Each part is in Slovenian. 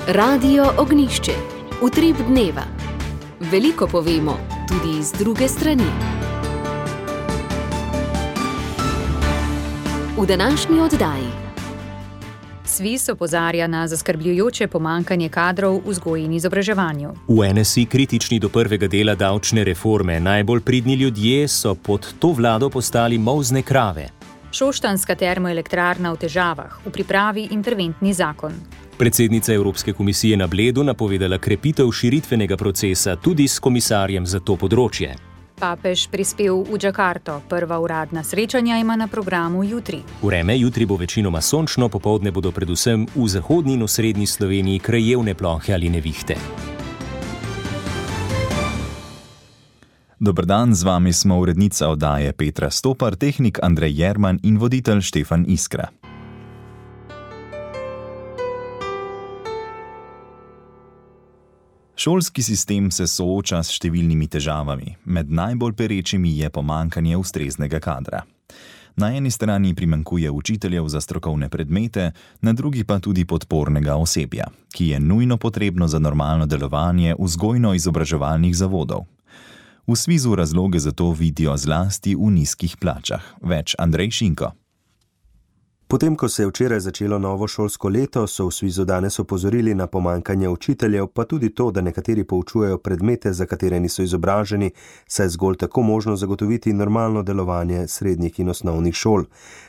Radio Ognišče, utrip dneva. Veliko povemo, tudi iz druge strani. V današnji oddaji. SVIZ opozarja na zaskrbljujoče pomanjkanje kadrov v vzgoji in izobraževanju. V NSI kritični do prvega dela davčne reforme. Najbolj pridni ljudje so pod to vlado postali molzne krave. Šoštanjska termoelektrarna v težavah, v pripravi interventni zakon. Predsednica Evropske komisije na Bledu napovedala krepitev širitvenega procesa tudi s komisarjem za to področje. Papež prispel v Džakarto. Prva uradna srečanja ima na programu jutri. Vreme jutri bo večinoma sončno, popoldne bodo predvsem v zahodni in osrednji Sloveniji krajevne plohe ali nevihte. Dober dan, z vami smo urednica oddaje Petra Stopar, tehnik Andrej Jerman in voditelj Štefan Iskra. Šolski sistem se sooča s številnimi težavami. Med najbolj perečimi je pomanjkanje ustreznega kadra. Na eni strani primanjkuje učiteljev za strokovne predmete, na drugi pa tudi podpornega osebja, ki je nujno potrebno za normalno delovanje vzgojno-izobraževalnih zavodov. V SVIZ-u razloge za to vidijo zlasti v nizkih plačah. Več Andrej Šinko. Potem, ko se je včeraj začelo novo šolsko leto, so v SVIZ-u danes opozorili na pomanjkanje učiteljev, pa tudi to, da nekateri poučujejo predmete, za katere niso izobraženi, saj je zgolj tako možno zagotoviti normalno delovanje srednjih in osnovnih šol.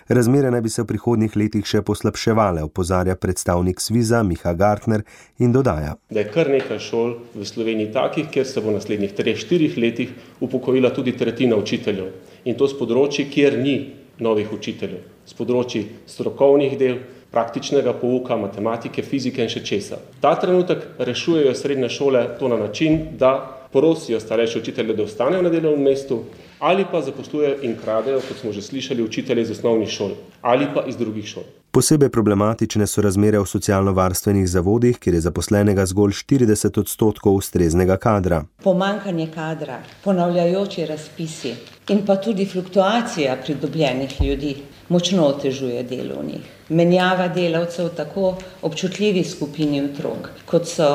Razmere naj bi se v prihodnjih letih še poslabševale, opozarja predstavnik SVIZ-a Miha Gartner in dodaja, da je kar nekaj šol v Sloveniji takih, kjer se bo v naslednjih 3-4 letih upokojila tudi tretjina učiteljev. In to s področji, kjer ni novih učiteljev, s področji strokovnih del, praktičnega pouka, matematike, fizike in še česa. Ta trenutek rešujejo srednje šole to na način, da prosijo starejše učitelje, da ostanejo na delovnem mestu, ali pa zaposlujejo in kradejo, kot smo že slišali, učitelje iz osnovnih šol ali pa iz drugih šol. Posebej problematične so razmere v socialno-varstvenih zavodih, kjer je zaposlenega zgolj 40% ustreznega kadra. Pomanjkanje kadra, ponavljajoči razpisi in pa tudi fluktuacija pridobljenih ljudi močno otežuje delo v njih. Menjava delavcev tako občutljivi skupini otrok, kot so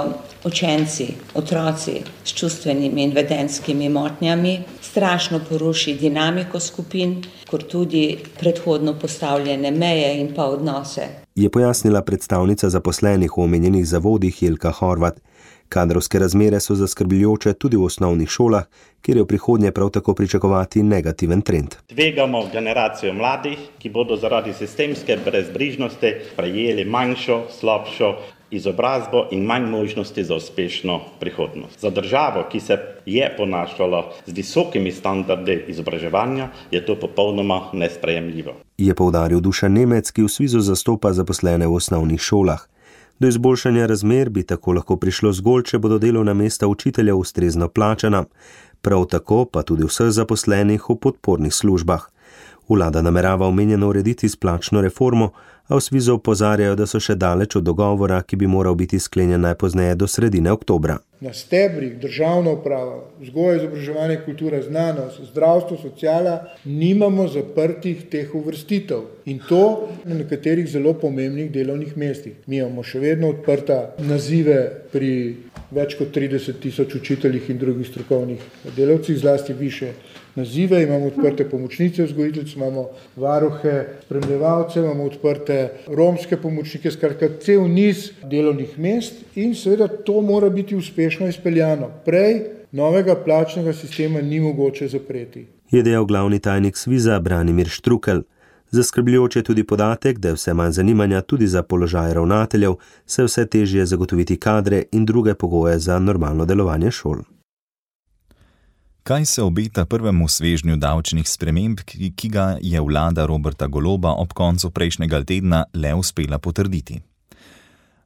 učenci, otroci s čustvenimi in vedenjskimi motnjami, strašno poruši dinamiko skupin, kot tudi predhodno postavljene meje in pa odnose. Je pojasnila predstavnica zaposlenih v omenjenih zavodih Jelka Horvat. Kadrovske razmere so zaskrbljujoče tudi v osnovnih šolah, kjer je v prihodnje prav tako pričakovati negativen trend. Tvegamo generacijo mladih, ki bodo zaradi sistemske brezbrižnosti prejeli manjšo, slabšo izobrazbo in manj možnosti za uspešno prihodnost. Za državo, ki se je ponašala z visokimi standardi izobraževanja, je to popolnoma nesprejemljivo. Je poudaril Dušan Nemec, ki v SVIZ-u zastopa zaposlene v osnovnih šolah. Do izboljšanja razmer bi tako lahko prišlo zgolj, če bodo delovna mesta učiteljev ustrezno plačana, prav tako pa tudi vseh zaposlenih v podpornih službah. Vlada namerava omenjeno urediti s plačno reformo, a v SVIZ-u opozarjajo, da so še daleč od dogovora, ki bi moral biti sklenjen najpozneje do sredine oktobra. Na stebrih državna uprava, vzgoja, izobraževanje, kultura, znanost, zdravstvo, sociala, nimamo zaprtih teh uvrstitev. In to na nekaterih zelo pomembnih delovnih mestih. Mi imamo še vedno odprta nazive pri več kot 30.000 učiteljih in drugih strokovnih delavcih, zlasti više nazive, imamo odprte pomočnice vzgojiteljic, imamo varuhe, spremljevalce, imamo odprte romske pomočnike, skratka cel niz delovnih mest in seveda to mora biti uspešno izpeljano. Prej novega plačnega sistema ni mogoče zapreti. Je dejal glavni tajnik SVIZ-a Branimir Štrukelj. Zaskrbljujoč je tudi podatek, da je vse manj zanimanja tudi za položaj ravnateljev, saj vse težje zagotoviti kadre in druge pogoje za normalno delovanje šol. Kaj se obeta prvemu svežnju davčnih sprememb, ki ga je vlada Roberta Goloba ob koncu prejšnjega tedna le uspela potrditi?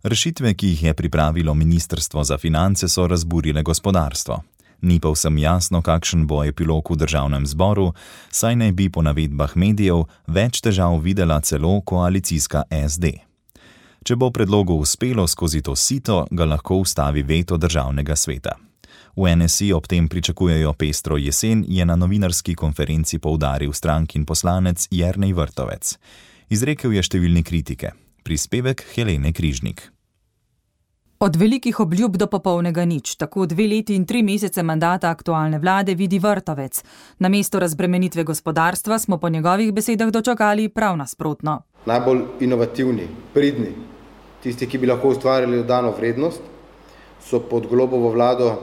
Rešitve, ki jih je pripravilo Ministrstvo za finance, so razburile gospodarstvo. Ni pa vsem jasno, kakšen bo epilog v državnem zboru, saj naj bi po navedbah medijev več težav videla celo koalicijska SD. Če bo predlogu uspelo skozi to sito, ga lahko ustavi veto državnega sveta. V NSI ob tem pričakujejo pestro jesen, je na novinarski konferenci poudaril strankin poslanec Jernej Vrtovec. Izrekel je številne kritike. Prispevek Helene Križnik. Od velikih obljub do popolnega nič, tako 2 leti in 3 mesece mandata aktualne vlade vidi Vrtovec. Namesto razbremenitve gospodarstva smo po njegovih besedah dočakali prav nasprotno. Najbolj inovativni, pridni, tisti, ki bi lahko ustvarili dodano vrednost, so pod Golobovo vlado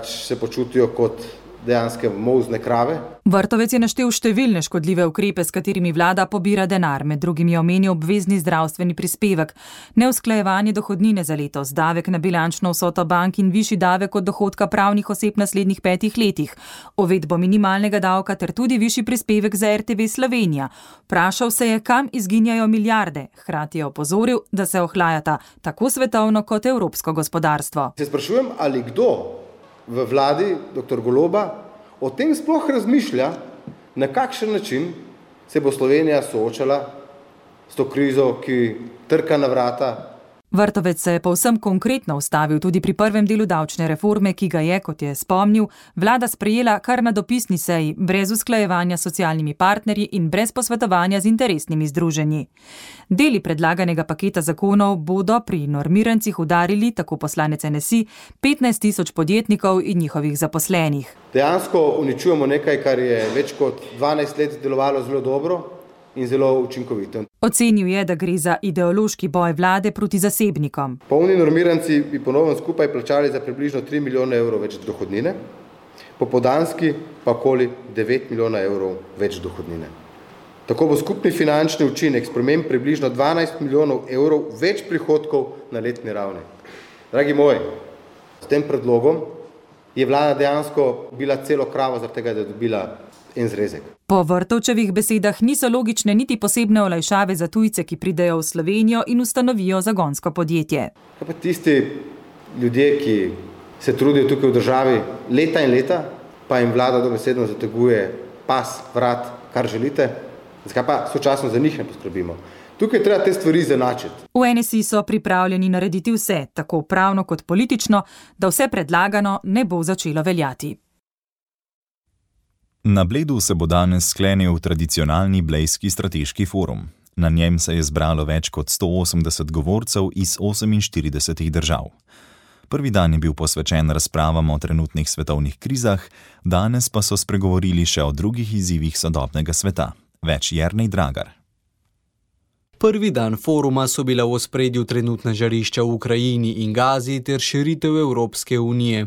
se počutijo kot dejanske molzne krave. Vrtovec je naštel številne škodljive ukrepe, s katerimi vlada pobira denar, med drugim je omenil obvezni zdravstveni prispevek, neusklajevanje dohodnine za letos, davek na bilančno vsoto bank in višji davek od dohodka pravnih oseb naslednjih 5 letih, uvedbo minimalnega davka ter tudi višji prispevek za RTV Slovenija. Vprašal se je, kam izginjajo milijarde, hkrati je opozoril, da se ohlajata tako svetovno kot evropsko gospodarstvo. Se sprašujem, ali kdo v vladi dr. Goloba o tem sploh razmišlja, na kakšen način se bo Slovenija soočala s to krizo, ki trka na vrata. Vrtovec se je povsem konkretno ustavil tudi pri prvem delu davčne reforme, ki ga je, kot je spomnil, vlada sprejela kar na dopisni seji, brez usklajevanja s socialnimi partnerji in brez posvetovanja z interesnimi združenji. Deli predlaganega paketa zakonov bodo pri normirancih udarili, tako poslanec NSI, 15.000 podjetnikov in njihovih zaposlenih. Dejansko uničujemo nekaj, kar je več kot 12 let delovalo zelo dobro in zelo učinkovito. Ocenil je, da gre za ideološki boj vlade proti zasebnikom. Polni normiranci bi ponovno skupaj plačali za približno 3 milijone evrov več dohodnine, popoldanski pa okoli 9 milijona evrov več dohodnine. Tako bo skupni finančni učinek sprememb približno 12 milijonov evrov več prihodkov na letni ravni. Dragi moji, s tem predlogom je vlada dejansko bila celo kravo zaradi tega, da je dobila en zrezek. Po Vrtovčevih besedah niso logične niti posebne olajšave za tujce, ki pridejo v Slovenijo in ustanovijo zagonsko podjetje. Kaj pa tisti ljudje, ki se trudijo tukaj v državi leta in leta, pa jim vlada dobesedno zateguje pas, vrat, kar želite, zakaj pa sočasno za njih ne poskrbimo? Tukaj treba te stvari zanačiti. V NSI so pripravljeni narediti vse, tako pravno kot politično, da vse predlagano ne bo začelo veljati. Na Bledu se bo danes sklenil tradicionalni blejski strateški forum. Na njem se je zbralo več kot 180 govorcev iz 48 držav. Prvi dan je bil posvečen razpravam o trenutnih svetovnih krizah, danes pa so spregovorili še o drugih izzivih sodobnega sveta. Več Jernej Dragar. Prvi dan foruma so bila v ospredju trenutna žarišča v Ukrajini in Gazi ter širitev Evropske unije.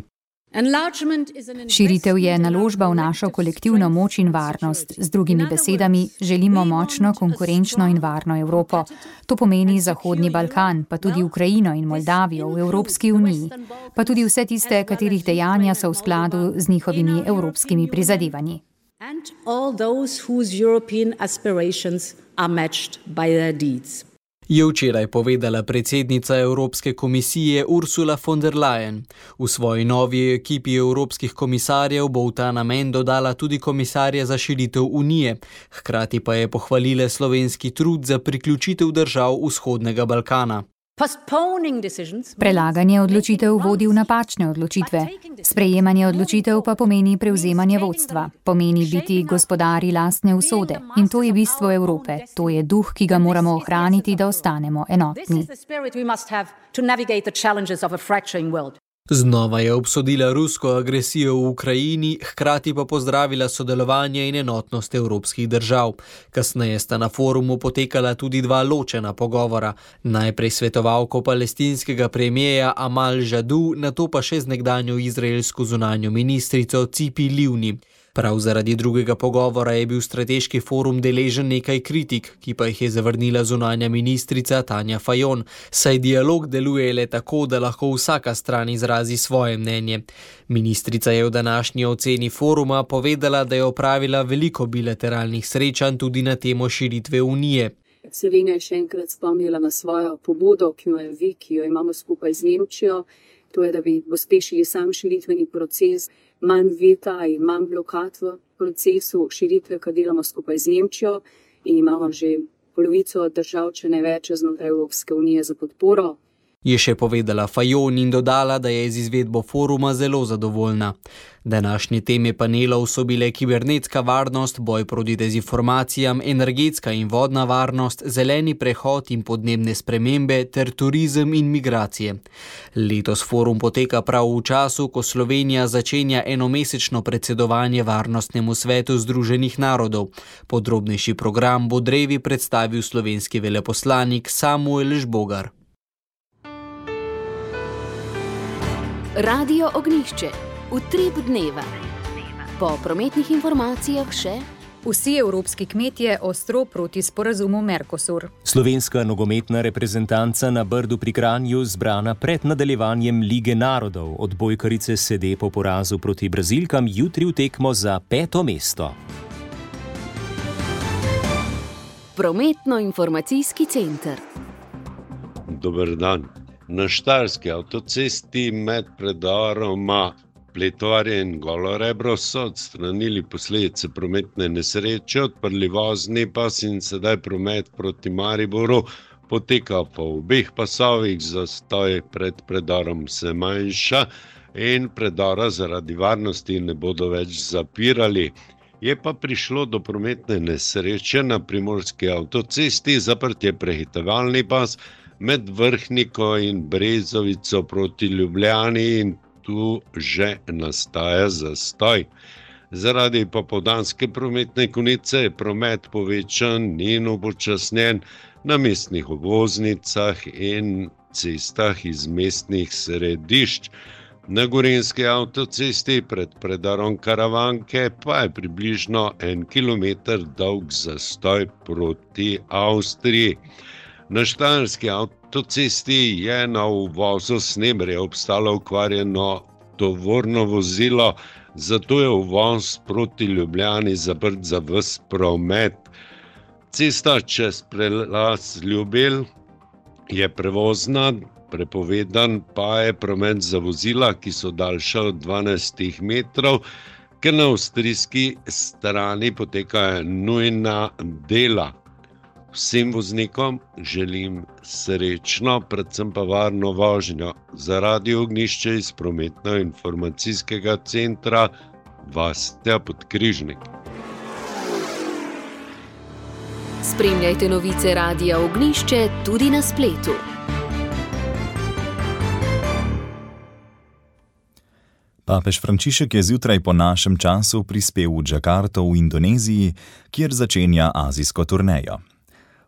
Širitev je naložba v našo kolektivno moč in varnost. Z drugimi besedami, želimo močno, konkurenčno in varno Evropo. To pomeni Zahodni Balkan, pa tudi Ukrajino in Moldavijo v Evropski uniji, pa tudi vse tiste, katerih dejanja so v skladu z njihovimi evropskimi prizadevanji. Je včeraj povedala predsednica Evropske komisije Ursula von der Leyen. V svoji novi ekipi evropskih komisarjev bo v ta namen dodala tudi komisarja za širitev unije, hkrati pa je pohvalila slovenski trud za priključitev držav vzhodnega Balkana. Prelaganje odločitev vodi v napačne odločitve. Sprejemanje odločitev pa pomeni prevzemanje vodstva, pomeni biti gospodari lastne usode. In to je bistvo Evrope, to je duh, ki ga moramo ohraniti, da ostanemo enotni. Znova je obsodila rusko agresijo v Ukrajini, hkrati pa pozdravila sodelovanje in enotnost evropskih držav. Kasneje sta na forumu potekala tudi 2 ločena pogovora. Najprej svetovalko palestinskega premijeja Amal Jadu, nato pa še z nekdanjo izraelsko zunanjo ministrico Tzipi Livni. Prav zaradi drugega pogovora je bil strateški forum deležen nekaj kritik, ki pa jih je zavrnila zunanja ministrica Tanja Fajon, saj dialog deluje le tako, da lahko vsaka stran izrazi svoje mnenje. Ministrica je v današnji oceni foruma povedala, da je opravila veliko bilateralnih srečanj tudi na temo širitve unije. Slovenija je še enkrat spomnila na svojo pobudo, ki jo imamo skupaj z Nemčijo, to je, da bi pospešili sam širitveni proces, manj veta in manj blokad v procesu širitve, kar delamo skupaj z Nemčijo in imamo že polovico držav, če ne več, znotraj Evropske unije za podporo. je še povedala Fajon in dodala, da je z izvedbo foruma zelo zadovoljna. Današnje teme panelov so bile kibernetska varnost, boj proti dezinformacijam, energetska in vodna varnost, zeleni prehod in podnebne spremembe ter turizem in migracije. Letos forum poteka prav v času, ko Slovenija začenja enomesečno predsedovanje Varnostnemu svetu Združenih narodov. Podrobnejši program bo drevi predstavil slovenski veleposlanik Samuel Žbogar. Radio Ognjišče. Utrip dneva. Po prometnih informacijah še: vsi evropski kmetje ostro proti sporazumu Mercosur. Slovenska nogometna reprezentanca na Brdu pri Kranju zbrana pred nadaljevanjem Lige narodov. Odbojkarice sede po porazu proti Brazilkam jutri v tekmo za 5. mesto. Prometno-informacijski center. Dober dan. Na Štajerski avtocesti med predoroma Pletovare in Golorebro so odstranili posledice prometne nesreče, odprli vozni pas in sedaj promet proti Mariboru poteka po obeh pasovih, zastoj pred predorom se manjša in predora zaradi varnosti ne bodo več zapirali. Je pa prišlo do prometne nesreče na Primorski avtocesti, zaprt je prehitevalni pas med Vrhniko in Brezovico proti Ljubljani in tu že nastaja zastoj. Zaradi popoldanske prometne konice je promet povečan in upočasnjen na mestnih obvoznicah in cestah iz mestnih središč. Na Gorenjski avtocesti pred predarom Karavanke pa je približno 1 kilometer dolg zastoj proti Avstriji. Na Štajerski avtocesti je na uvozu Snebrje obstalo okvarjeno tovorno vozilo, zato je uvoz proti Ljubljani zaprt za ves promet. Cesta čez prelaz Ljubelj je prevozna, prepovedan pa je promet za vozila, ki so daljša od 12 metrov, ker na avstrijski strani potekajo nujna dela. Vsem voznikom želim srečno, predvsem pa varno vožnjo. Za Radio Ognjišče iz prometno-informacijskega centra Vasja Podkrižnik. Spremljajte novice Radia Ognjišče tudi na spletu. Papež Frančišek je zjutraj po našem času prispel v Džakarto v Indoneziji, kjer začenja azijsko turnejo.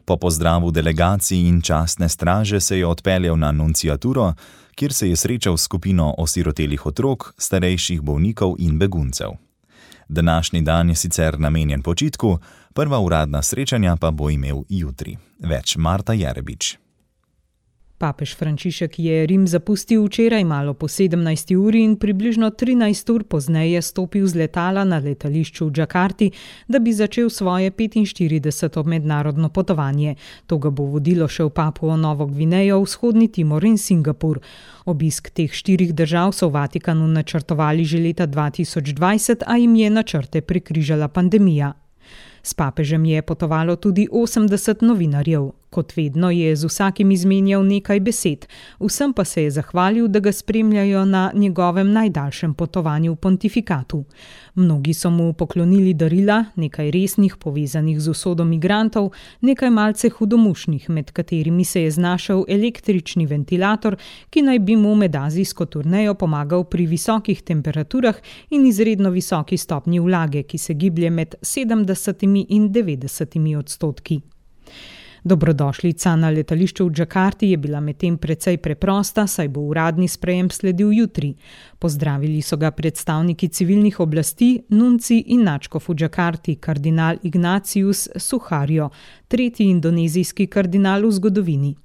Po pozdravu delegacij in častne straže se je odpeljal na nunciaturo, kjer se je srečal s skupino osirotelih otrok, starejših bolnikov in beguncev. Današnji dan je sicer namenjen počitku, prva uradna srečanja pa bo imel jutri. Več Marta Jerebič. Papež Frančišek je Rim zapustil včeraj malo po 17. uri in približno 13 ur pozneje stopil z letala na letališču v Džakarti, da bi začel svoje 45. mednarodno potovanje. To ga bo vodilo še v Papuo Novo Gvinejo, Vzhodni Timor in Singapur. Obisk teh 4 držav so v Vatikanu načrtovali že leta 2020, a jim je načrte prekrižala pandemija. S papežem je potovalo tudi 80 novinarjev. Kot vedno je z vsakim izmenjal nekaj besed, vsem pa se je zahvalil, da ga spremljajo na njegovem najdaljšem potovanju v pontifikatu. Mnogi so mu poklonili darila, nekaj resnih povezanih z usodo migrantov, nekaj malce hudomušnih, med katerimi se je znašel električni ventilator, ki naj bi mu med azijsko turnejo pomagal pri visokih temperaturah in izredno visoki stopnji vlage, ki se giblje med 70 in 90 odstotki. Dobrodošlica na letališču v Džakarti je bila medtem precej preprosta, saj bo uradni sprejem sledil jutri. Pozdravili so ga predstavniki civilnih oblasti, nunci in nadškof v Džakarti, kardinal Ignatius Suharjo, 3. indonezijski kardinal v zgodovini.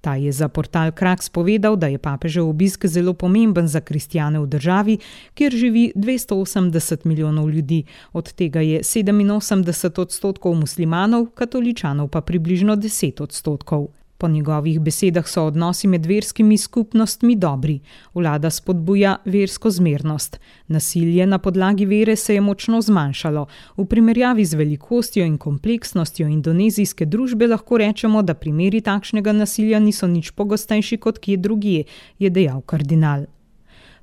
Ta je za portal Kraks povedal, da je papežev obisk zelo pomemben za kristjane v državi, kjer živi 280 milijonov ljudi, od tega je 87 odstotkov muslimanov, katoličanov pa približno 10 odstotkov. Po njegovih besedah so odnosi med verskimi skupnostmi dobri. Vlada spodbuja versko zmernost. Nasilje na podlagi vere se je močno zmanjšalo. V primerjavi z velikostjo in kompleksnostjo indonezijske družbe lahko rečemo, da primeri takšnega nasilja niso nič pogostejši kot kje drugje, je dejal kardinal.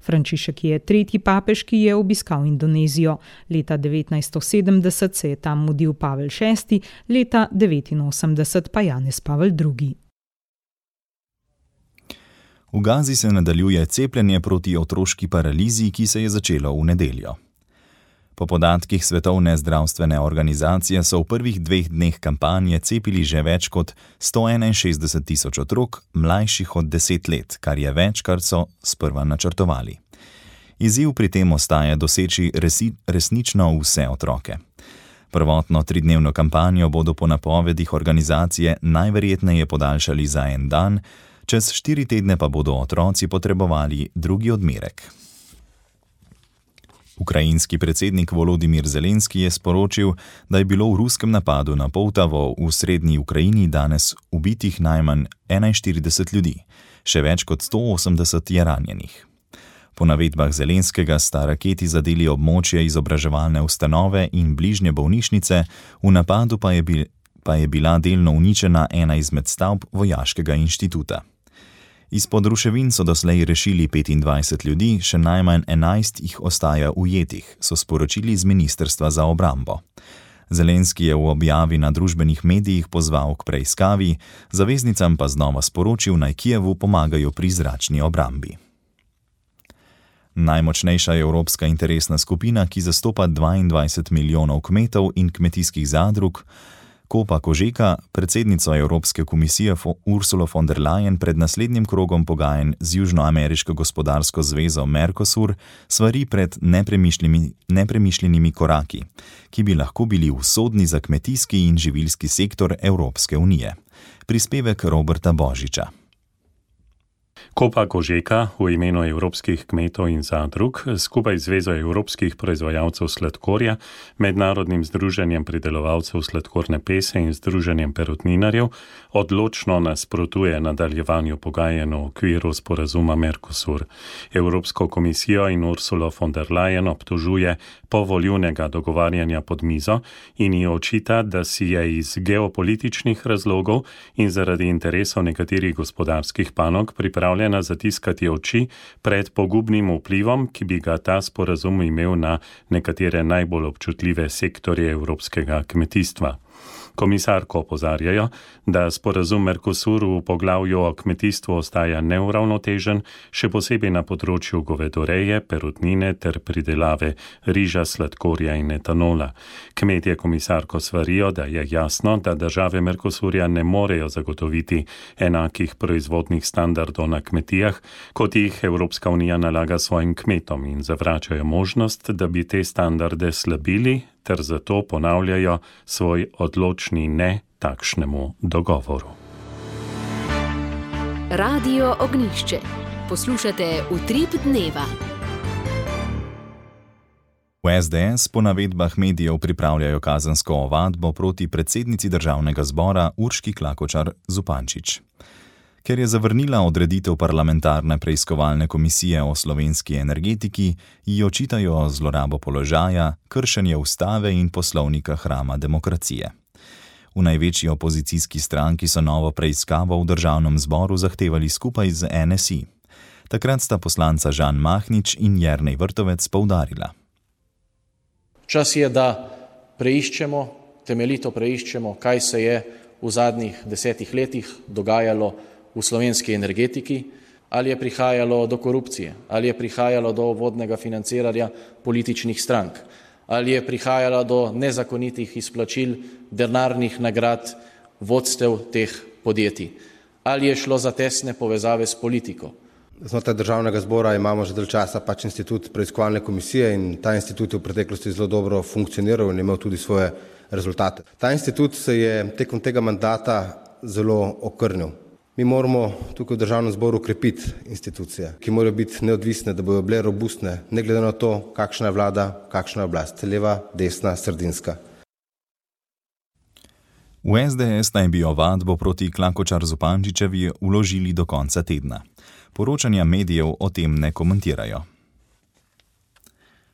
Frančišek je tretji papež, ki je obiskal Indonezijo. Leta 1970 se je tam mudil Pavel VI, leta 1989 pa Janez Pavel II. V Gazi se nadaljuje cepljenje proti otroški paralizi, ki se je začelo v nedeljo. Po podatkih Svetovne zdravstvene organizacije so v prvih 2 dneh kampanje cepili že več kot 161 tisoč otrok, mlajših od 10 let, kar je več, kar so sprva načrtovali. Izziv pri tem ostaja doseči resnično vse otroke. Prvotno 3-dnevno kampanjo bodo po napovedih organizacije najverjetneje podaljšali za 1 dan, čez 4 tedne pa bodo otroci potrebovali drugi odmerek. Ukrajinski predsednik Volodimir Zelenski je sporočil, da je bilo v ruskem napadu na Poltavo v srednji Ukrajini danes ubitih najmanj 41 ljudi, še več kot 180 je ranjenih. Po navedbah Zelenskega sta raketi zadeli območje izobraževalne ustanove in bližnje bolnišnice, v napadu pa je bila delno uničena ena izmed stavb vojaškega inštituta. Izpod ruševin so doslej rešili 25 ljudi, še najmanj 11 jih ostaja ujetih, so sporočili z Ministrstva za obrambo. Zelenski je v objavi na družbenih medijih pozval k preiskavi, zaveznicam pa znova sporočil, naj Kijevu pomagajo pri zračni obrambi. Najmočnejša evropska interesna skupina, ki zastopa 22 milijonov kmetov in kmetijskih zadrug, Kopa Kožeka, predsednico Evropske komisije Ursulo von der Leyen pred naslednjim krogom pogajanj z Južnoameriško gospodarsko zvezo Mercosur svari pred nepremišljenimi koraki, ki bi lahko bili usodni za kmetijski in živilski sektor Evropske unije. Prispevek Roberta Božiča. Kopa Kožeka v imenu evropskih kmetov in zadrug skupaj z Zvezo evropskih proizvajalcev sladkorja, Mednarodnim združenjem pridelovalcev sladkorne pese in Združenjem perutninarjev odločno nasprotuje nadaljevanju pogajanj v okviru sporazuma Mercosur. Evropsko komisijo in Ursulo von der Leyen obtožuje povoljivnega dogovarjanja pod mizo in ji očita, da si je iz geopolitičnih razlogov in zaradi interesov nekaterih gospodarskih panog pripravljena zatiskati oči pred pogubnim vplivom, ki bi ga ta sporazum imel na nekatere najbolj občutljive sektorje evropskega kmetijstva. Komisarko opozarjajo, da sporazum Mercosur v poglavju o kmetijstvu ostaja neuravnotežen, še posebej na področju govedoreje, perutnine ter pridelave riža, sladkorja in etanola. Kmetje komisarko svarijo, da je jasno, da države Mercosurja ne morejo zagotoviti enakih proizvodnih standardov na kmetijah, kot jih Evropska unija nalaga svojim kmetom in zavračajo možnost, da bi te standarde slabili, ter zato ponavljajo svoj odločni ne takšnemu dogovoru. Radio Ognjišče. Poslušate Utrip dneva. V SDS po navedbah medijev pripravljajo kazensko ovadbo proti predsednici državnega zbora Urški Klakočar Zupančič. Ker je zavrnila odreditev parlamentarne preiskovalne komisije o slovenski energetiki, ji očitajo zlorabo položaja, kršenje ustave in poslovnika hrama demokracije. V največji opozicijski stranki so novo preiskavo v državnem zboru zahtevali skupaj z NSI. Takrat sta poslanca Žan Mahnič in Jernej Vrtovec poudarila. Čas je, da temeljito preiščemo, kaj se je v zadnjih 10 letih dogajalo v slovenski energetiki, ali je prihajalo do korupcije, ali je prihajalo do vodnega financiranja političnih strank, ali je prihajalo do nezakonitih izplačil denarnih nagrad vodstev teh podjetij, ali je šlo za tesne povezave s politiko. Znotraj državnega zbora imamo že dalj časa institut preiskovalne komisije in ta institut je v preteklosti zelo dobro funkcioniral in imel tudi svoje rezultate. Ta institut se je tekom tega mandata zelo okrnil. Mi moramo tukaj v državnem zboru krepiti institucije, ki morajo biti neodvisne, da bodo bile robustne, ne glede na to, kakšna je vlada, kakšna je oblast, leva, desna, sredinska. V SDS naj bi ovadbo proti Klakočar Zupančičevi vložili do konca tedna. Poročanja medijev o tem ne komentirajo.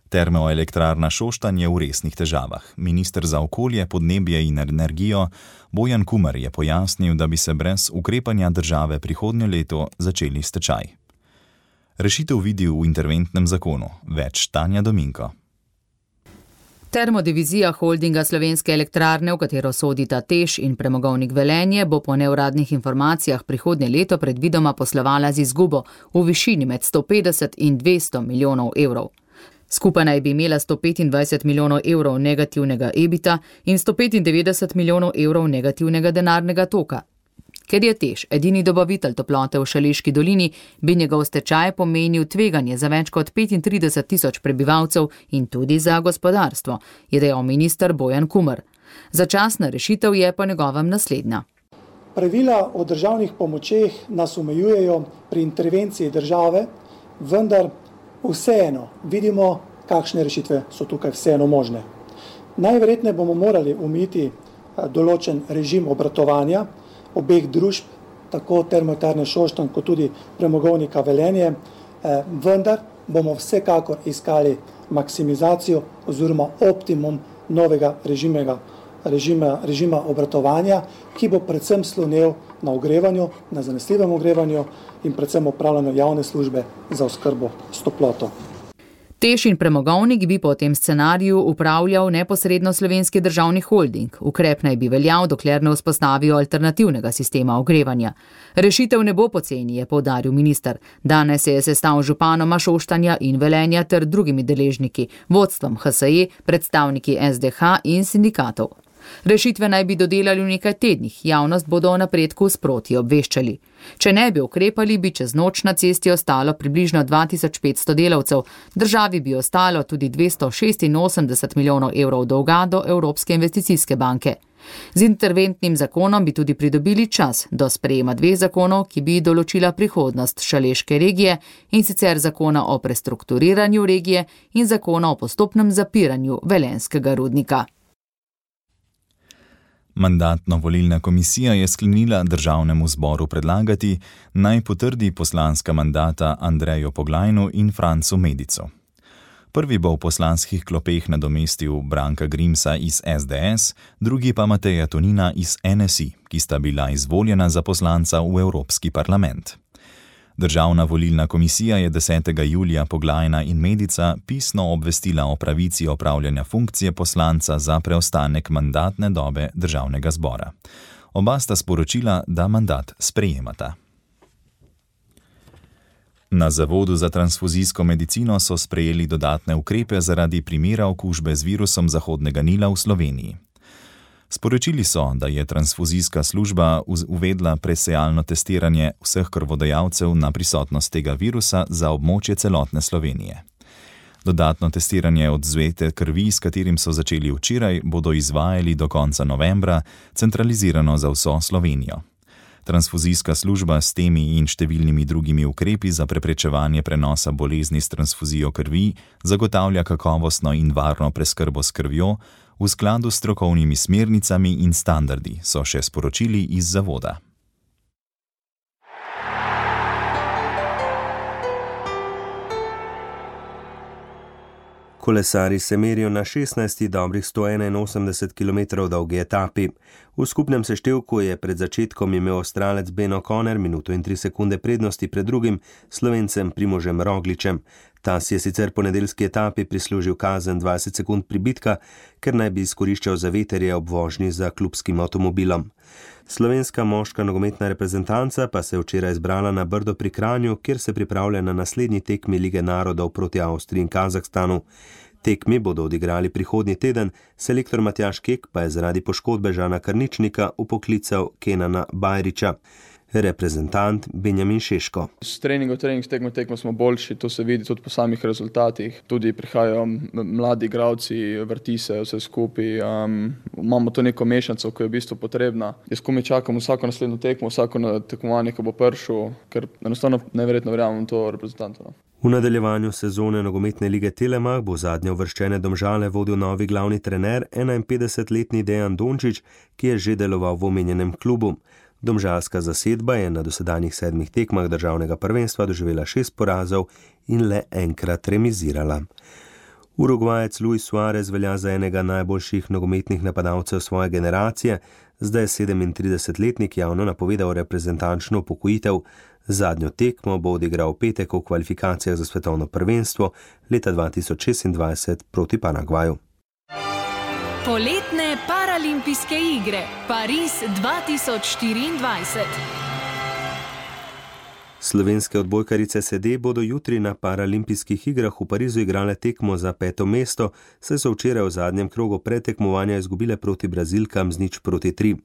Termoelektrarna Šoštanj je v resnih težavah. Minister za okolje, podnebje in energijo Bojan Kumer je pojasnil, da bi se brez ukrepanja države prihodnje leto začeli stečaj. Rešitev vidi v interventnem zakonu. Več Tanja Dominko. Termodivizija holdinga Slovenske elektrarne, v katero sodita TEŠ in Premogovnik Velenje, bo po neuradnih informacijah prihodnje leto predvidoma poslovala z izgubo v višini med 150 in 200 milijonov evrov. Skupaj naj bi imela 125 milijonov evrov negativnega EBITA in 195 milijonov evrov negativnega denarnega toka. Ker je TEŠ edini dobavitelj toplote v Šaleški dolini, bi njegov stečaj pomenil tveganje za več kot 35 tisoč prebivalcev in tudi za gospodarstvo, je dejal minister Bojan Kumer. Začasna rešitev je po njegovem naslednja. Pravila o državnih pomočeh nas omejujejo pri intervenciji države, vendar vseeno vidimo, kakšne rešitve so tukaj vseeno možne. Najverjetneje bomo morali omejiti določen režim obratovanja obeh družb, tako Termoelektrarne Šoštanj kot tudi Premogovnika Velenje, vendar bomo vsekakor iskali maksimizacijo oziroma optimum novega režima obratovanja, ki bo predvsem slonel na ogrevanju, na zanesljivem ogrevanju in predvsem opravljanju javne službe za oskrbo s toploto. TEŠ in Premogovnik bi po tem scenariju upravljal neposredno Slovenski državni holding. Ukrep naj bi veljal, dokler ne vzpostavijo alternativnega sistema ogrevanja. Rešitev ne bo poceni, je poudaril minister. Danes se je sestal z županoma Šoštanja in Velenja ter drugimi deležniki, vodstvom HSE, predstavniki SDH in sindikatov. Rešitve naj bi dodelali v nekaj tednih, javnost bodo o napredku sproti obveščali. Če ne bi ukrepali, bi čez noč na cesti ostalo približno 2500 delavcev, državi bi ostalo tudi 286 milijonov evrov dolga do Evropske investicijske banke. Z interventnim zakonom bi tudi pridobili čas do sprejema 2 zakonov, ki bi določila prihodnost Šaleške regije, in sicer zakona o prestrukturiranju regije in zakona o postopnem zapiranju velenjskega rudnika. Mandatno-volilna komisija je sklenila državnemu zboru predlagati, naj potrdi poslanska mandata Andreju Poglajnu in Francu Medicu. Prvi bo v poslanskih klopeh nadomestil Branka Grimsa iz SDS, drugi pa Mateja Tonina iz NSI, ki sta bila izvoljena za poslanca v Evropski parlament. Državna volilna komisija je 10. julija Poglajna in Medica pisno obvestila o pravici opravljanja funkcije poslanca za preostanek mandatne dobe državnega zbora. Oba sta sporočila, da mandat sprejemata. Na Zavodu za transfuzijsko medicino so sprejeli dodatne ukrepe zaradi primera okužbe z virusom Zahodnega Nila v Sloveniji. Sporočili so, da je transfuzijska služba uvedla presejalno testiranje vseh krvodajalcev na prisotnost tega virusa za območje celotne Slovenije. Dodatno testiranje odzvete krvi, s katerim so začeli včeraj, bodo izvajali do konca novembra, centralizirano za vso Slovenijo. Transfuzijska služba s temi in številnimi drugimi ukrepi za preprečevanje prenosa bolezni s transfuzijo krvi zagotavlja kakovostno in varno preskrbo s krvjo v skladu s strokovnimi smernicami in standardi, so še sporočili iz zavoda. Kolesarji se merijo na 16 dobrih 181 km dolgi etapi. V skupnem seštevku je pred začetkom imel Avstralec Ben O'Connor minuto in 3 sekunde prednosti pred drugim Slovencem Primožem Rogličem. Ta si je sicer po nedeljski etapi prislužil kazen 20 sekund pribitka, ker naj bi izkoriščal zaveterje ob vožnji za klubskim avtomobilom. Slovenska moška nogometna reprezentanca pa se je včeraj zbrala na Brdo pri Kranju, kjer se pripravlja na naslednji tekmi Lige narodov proti Avstriji in Kazahstanu. Tekmi bodo odigrali prihodnji teden, selektor Matjaž Kek pa je zaradi poškodbe Žana Krničnika upoklical Kenana Bajriča. reprezentant Benjamin Šeško. S trening, tekmo smo boljši, to se vidi tudi po samih rezultatih. Tudi prihajajo mladi igralci, vrti se vse skupaj. Imamo to neko mešanico, ki je v bistvu potrebna. Jaz komaj čakam vsako naslednjo tekmo, vsako tekmovanje, ko bo prišel, ker enostavno neverjetno verjamem to reprezentantu. V nadaljevanju sezone nogometne lige Telemach bo zadnje uvrščene Domžale vodil novi glavni trener, 51-letni Dejan Dončić, ki je že deloval v omenjenem klubu. Domžalska zasedba je na dosedanjih 7 tekmah državnega prvenstva doživela 6 porazov in le enkrat remizirala. Urugvajec Luis Suarez velja za enega najboljših nogometnih napadalcev svoje generacije, zdaj je 37-letnik javno napovedal reprezentančno upokojitev. Zadnjo tekmo bo odigral v petek v kvalifikacijah za svetovno prvenstvo leta 2026 proti Paragvaju. Poletne paralimpijske igre Pariz 2024. Slovenske odbojkarice sede bodo jutri na paralimpijskih igrah v Parizu igrale tekmo za 5. mesto, saj so včeraj v zadnjem krogu pretekmovanja izgubile proti Brazilkam z 0-3.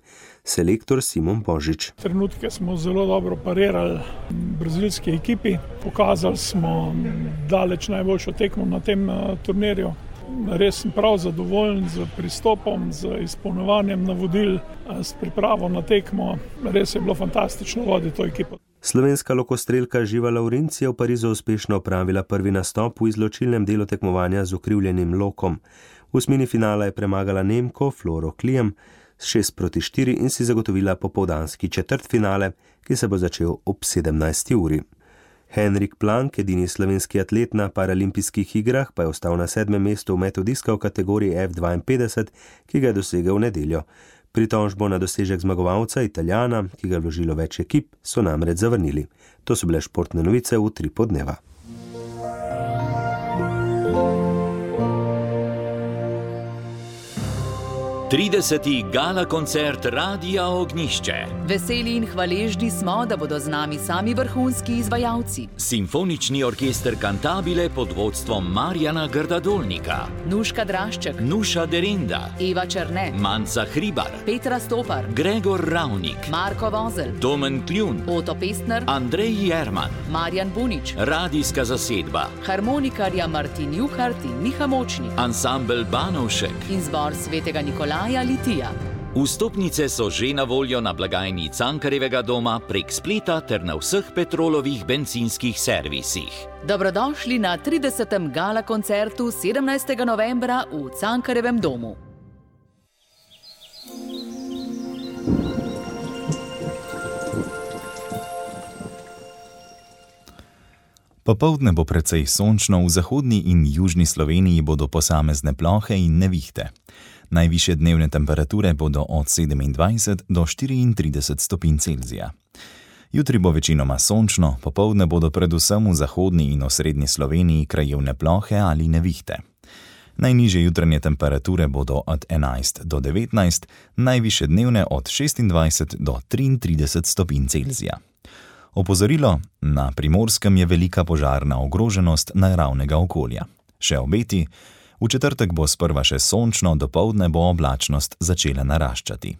Selektor Simon Božič. Trenutke smo zelo dobro parirali brazilski ekipi, pokazali smo daleč najboljšo tekmo na tem turnirju. Res sem prav zadovoljen z pristopom, z izpolnjevanjem navodil, s pripravo na tekmo. Res je bilo fantastično voditi to ekipo. Slovenska lokostrelka Živa Lavrinc je v Parizu uspešno opravila prvi nastop v izločilnem delu tekmovanja z ukrivljenim lokom. V osmini finala je premagala Nemko Floro Klijem s 6-4 in si zagotovila popoldanski četrtfinale, ki se bo začel ob 17. uri. Henrik Plank, edini slovenski atlet na paralimpijskih igrah, pa je ostal na 7. mestu v metu diska v kategoriji F52, ki ga je dosegel v nedeljo. Pritožbo na dosežek zmagovalca Italijana, ki ga je vložilo več ekip, so namreč zavrnili. To so bile športne novice v 3 podneva. Trideseti gala koncert Radia Ognjišče. Veseli in hvaležni smo, da bodo z nami sami vrhunski izvajalci. Simfonični orkester Cantabile pod vodstvom Marjana Grdadolnika, Nuška Drašček, Nuša Derinda, Eva Černe, Manca Hribar, Petra Stopar, Gregor Ravnik, Marko Vozel, Domen Kljun, Oto Pestner, Andrej Jerman, Marjan Bunič, radijska zasedba, harmonikarja Martin Juhart in Miha Močnik, ansambel Banovšek in zbor Svetega Nikolaja Litija. Vstopnice so že na voljo na blagajni Cankarjevega doma prek spleta ter na vseh Petrolovih bencinskih servisih. Dobrodošli na 30. gala koncertu 17. novembra v Cankarjevem domu. Popoldne bo precej sončno, v zahodni in južni Sloveniji bodo posamezne plohe in nevihte. Najvišje dnevne temperature bodo od 27 do 34 stopinj Celzija. Jutri bo večinoma sončno, popoldne bodo predvsem v zahodni in osrednji Sloveniji krajevne plohe ali nevihte. Najnižje jutranje temperature bodo od 11 do 19, najvišje dnevne od 26 do 33 stopinj Celzija. Opozorilo: na Primorskem je velika požarna ogroženost naravnega okolja. Še obeti: v četrtek bo sprva še sončno, dopoldne bo oblačnost začela naraščati.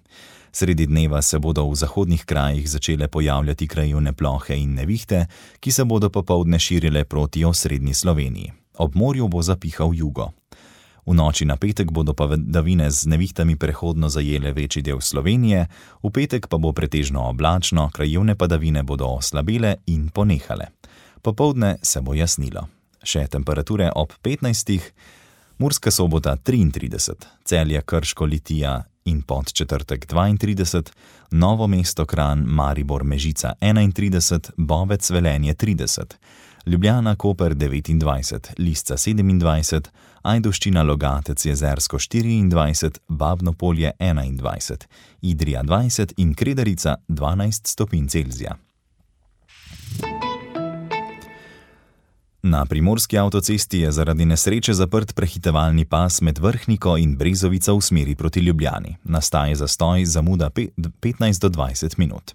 Sredi dneva se bodo v zahodnih krajih začele pojavljati krajevne plohe in nevihte, ki se bodo popoldne širile proti osrednji Sloveniji. Ob morju bo zapihal jugo. V noči na petek bodo padavine z nevihtami prehodno zajele večji del Slovenije, v petek pa bo pretežno oblačno, krajevne padavine bodo oslabele in ponehale. Popoldne se bo jasnilo. Še temperature ob 15. Murska Sobota 33, Celje, Krško, Litija in Podčetrtek 32, Novo mesto, Kranj, Maribor, Mežica 31, Bovec, Velenje 30, Ljubljana, Koper 29, Lisca 27, Ajdovščina, Logatec, Jezersko 24, Babno Polje 21, Idrija 20 in Kredarica 12 stopinj Celzija. Na primorski avtocesti je zaradi nesreče zaprt prehitevalni pas med Vrhniko in Brezovico v smeri proti Ljubljani. Nastaja zastoj, zamuda 15 do 20 minut.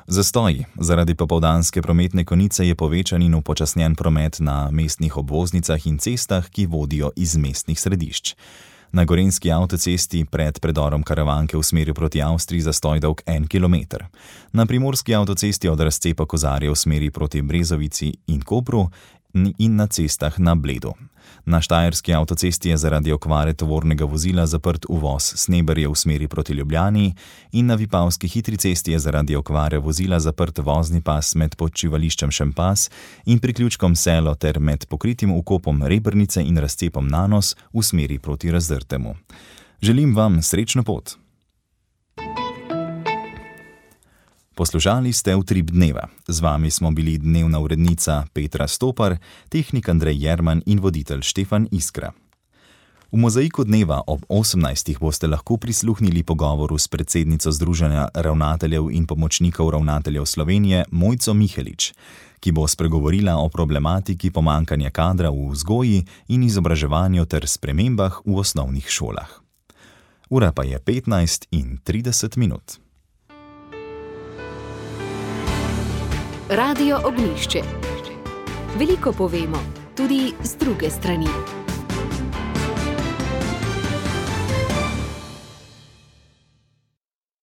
Zastoj zaradi popoldanske prometne konice je povečan in upočasnjen promet na mestnih obvoznicah in cestah, ki vodijo iz mestnih središč. Na gorenjski avtocesti pred predorom Karavanke v smeri proti Avstriji zastoj dolg 1 km. Na primorski avtocesti od razcepa Kozarja v smeri proti Brezovici in Kopru in na cestah na Bledu. Na štajerski avtocesti je zaradi okvare tovornega vozila zaprt uvoz Sneberje v smeri proti Ljubljani in na Vipavski hitri cesti je zaradi okvare vozila zaprt vozni pas med počivališčem Šempas in priključkom Selo ter med pokritim vkopom Rebrnice in razcepom Nanos v smeri proti Razdrtemu. Želim vam srečno pot! Poslušali ste Utrip dneva. Z vami smo bili dnevna urednica Petra Stopar, tehnik Andrej Jerman in voditelj Štefan Iskra. V Mozaiku dneva ob 18. boste lahko prisluhnili pogovoru s predsednico Združenja ravnateljev in pomočnikov ravnateljev Slovenije Mojco Mihelič, ki bo spregovorila o problematiki pomanjkanja kadra v vzgoji in izobraževanju ter spremembah v osnovnih šolah. Ura pa je 15:30. Radio Ognjišče. Veliko povemo, tudi z druge strani.